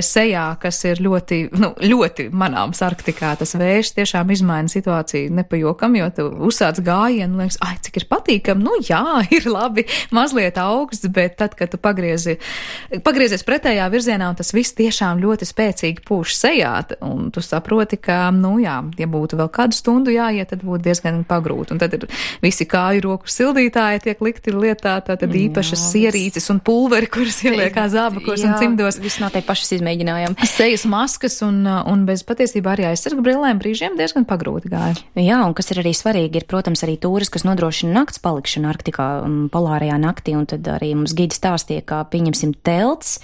sejā, kas ir ļoti, ļoti manāms Arktikā. Tas vējš tiešām izmaina situāciju nepajokam, jo tu uzsāc gājienu, liekas, cik ir patīkam, jā, ir labi, mazliet augsts, bet tad, kad tu pagriezies pretējā virzienā, un tas viss tiešām ļoti spēcīgi pūš sejā, un tu saproti, ka, ja būtu vēl kādu stundu jāiet, tad būtu diezgan pagrūti, un tad ir visi kāju roku sildītāji tiek likti lietā, tad īpašas sierīces un pulveri, kuras ieliek kā zābakos un cimdos. Viss no te pašas izmēģinājām. Sejas maskas un bez patiesībā arī aizsarga brillēm brīžiem diezgan pagrūti gāja. Jā, un kas ir arī svarīgi, ir, protams, arī tūris, kas nodrošina nakts palikšanu Arktikā, polārajā naktī, un tad arī mums gidi stāstīja, kā pieņemsim telts,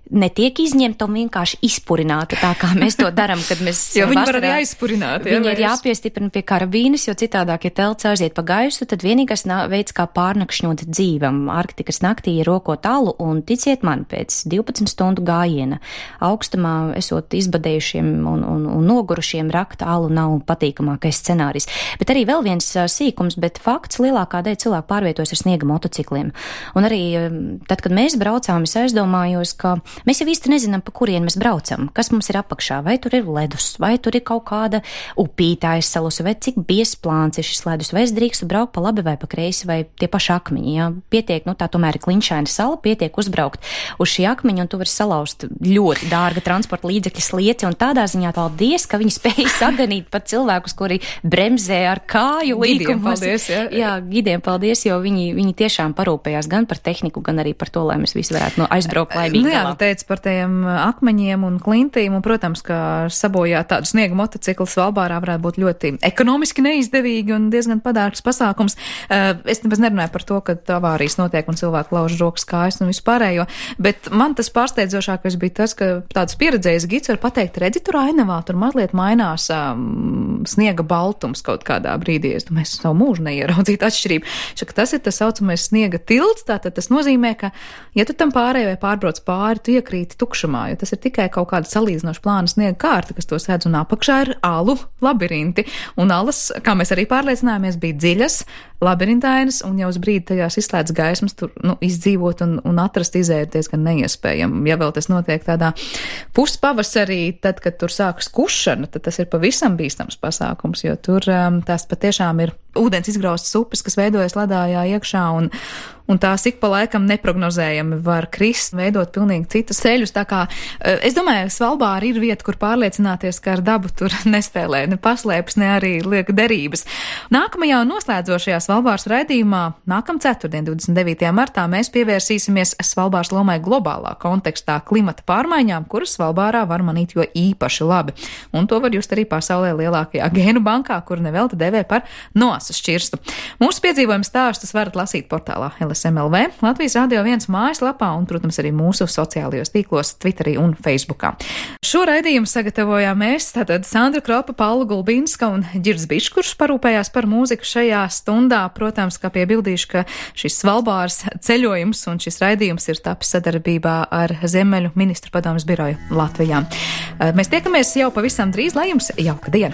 netiek izņemta un vienkārši izpurināta, tā kā mēs to daram, kad mēs jo viņi var arī aizpurināt. Viņi ir jāpiestiprina pie karabīnes, jo citādāk, ja telts aiziet pa gaisu, tad vienīgais veids, kā pārnakšņot dzīvam Arktikas naktī, ir rokot alu, un ticiet man, pēc 12 stundu gājiena augstumā, esot izbadējušiem un nogurušiem, rakt alu nav patīkamākais scenārijs. Bet arī vēl viens sīkums, bet fakts, lielākā daļa cilvēku pārvietojas ar sniega motocikliem. Un arī tad, kad mēs braucām, es aizdomājos, ka mēs jau īsti nezinām, pa kurien mēs braucam, kas mums ir apakšā, vai tur ir ledus, vai tur ir kaut kāda upītā aizsalusi, vai cik biezplāns ir šis ledus, vai es drīkstu braukt pa labi vai pa kreisi, vai tie paši akmeņi, jā. Pietiek, tā tomēr ir kliņšaina sala, pietiek uzbraukt uz šī akmeņa, un tu vari salauzt ļoti dārga transporta līdzekļa slieci, un tādā ziņā paldies, ka viņi spēja saganīt pat cilvēkus, kuri bremzē ar kāju līkumus. Jā, gidiem paldies, jo viņi tiešām parūpējās gan par tehniku, gan arī par to, lai mēs visi varētu aizbraukt laimīgi galā. Par tiem akmeņiem un klintīm, un, protams, ka sabojāt tādu sniega motociklu Svalbārā varētu būt ļoti ekonomiski neizdevīgi un diezgan padārgs pasākums. Es nemaz nerunāju par to, ka avārijas notiek un cilvēki lauž rokas kājas un vispārējo, bet man tas pārsteidzošākais bija tas, ka tāds pieredzējis gids var pateikt, redzi, tur ainavā, tur mazliet mainās sniega baltums kaut kādā brīdī. Es domāju, es savu mūžu neieraudzītu atšķirību. Tas ir tas saucamais sniega tilts, tātad tas nozīmē, ka, ja tu tam pārēj vai pārbrauc pāri, tu iekrīti tukšumā, jo tas ir tikai kaut kāda salīdzinoša plāna sniega kārta, kas to sēdz, un apakšā ir alu labirinti. Un alas, kā mēs arī pārliecinājāmies, bija dziļas, labirintainas, un jau uz brīdi tajās izslēdz gaismas, tur izdzīvot un atrast izēju diezgan neiespējami. Ja vēl tas notiek tādā puspavasarī, tad, kad tur sākas kušana, tad tas ir pavisam bīstams pasākums, jo tur tās patiešām ir ūdens izgraustas upes, kas veidojas ledājā iekšā, un tās ik pa laikam neprognozējami var krist, veidot pilnīgi citas ceļus. Tā kā es domāju, Svalbāra ir vieta, kur pārliecināties, ka ar dabu tur nespēlē ne paslēpes, ne arī lieka derības. Nākamajā un noslēdzošajā Svalbāras raidījumā nākam ceturtdien, 29. martā, mēs pievērsīsimies Svalbāras lomai globālā kontekstā klimata pārmaiņām, kuras Svalbārā var manīt jo īpaši labi. Un to var just arī pasaulē lielākajā gēnu bankā, kur nevelti devē par noasas šķirstu. Mūsu piedzīvojumu stāstus varat lasīt portālā LSM.LV, Latvijas Radio 1 mājaslapā un, protams, arī mūsu sociālajos tīklos, Twitterī un Facebookā. Šo raidījumu sagatavojām mēs, tātad Sandra Kropa, Paula Gulbinska un Ģirds Bišs, kurš parūpējās par mūziku šajā stundā. Protams, kā piebildīšu, ka šis Svalbāras ceļojums un šis raidījums ir tapis sadarbībā ar Ziemeļu ministru padomes biroju Latvijā. Mēs tiekamies jau pavisam drīz, lai jums jauka diena!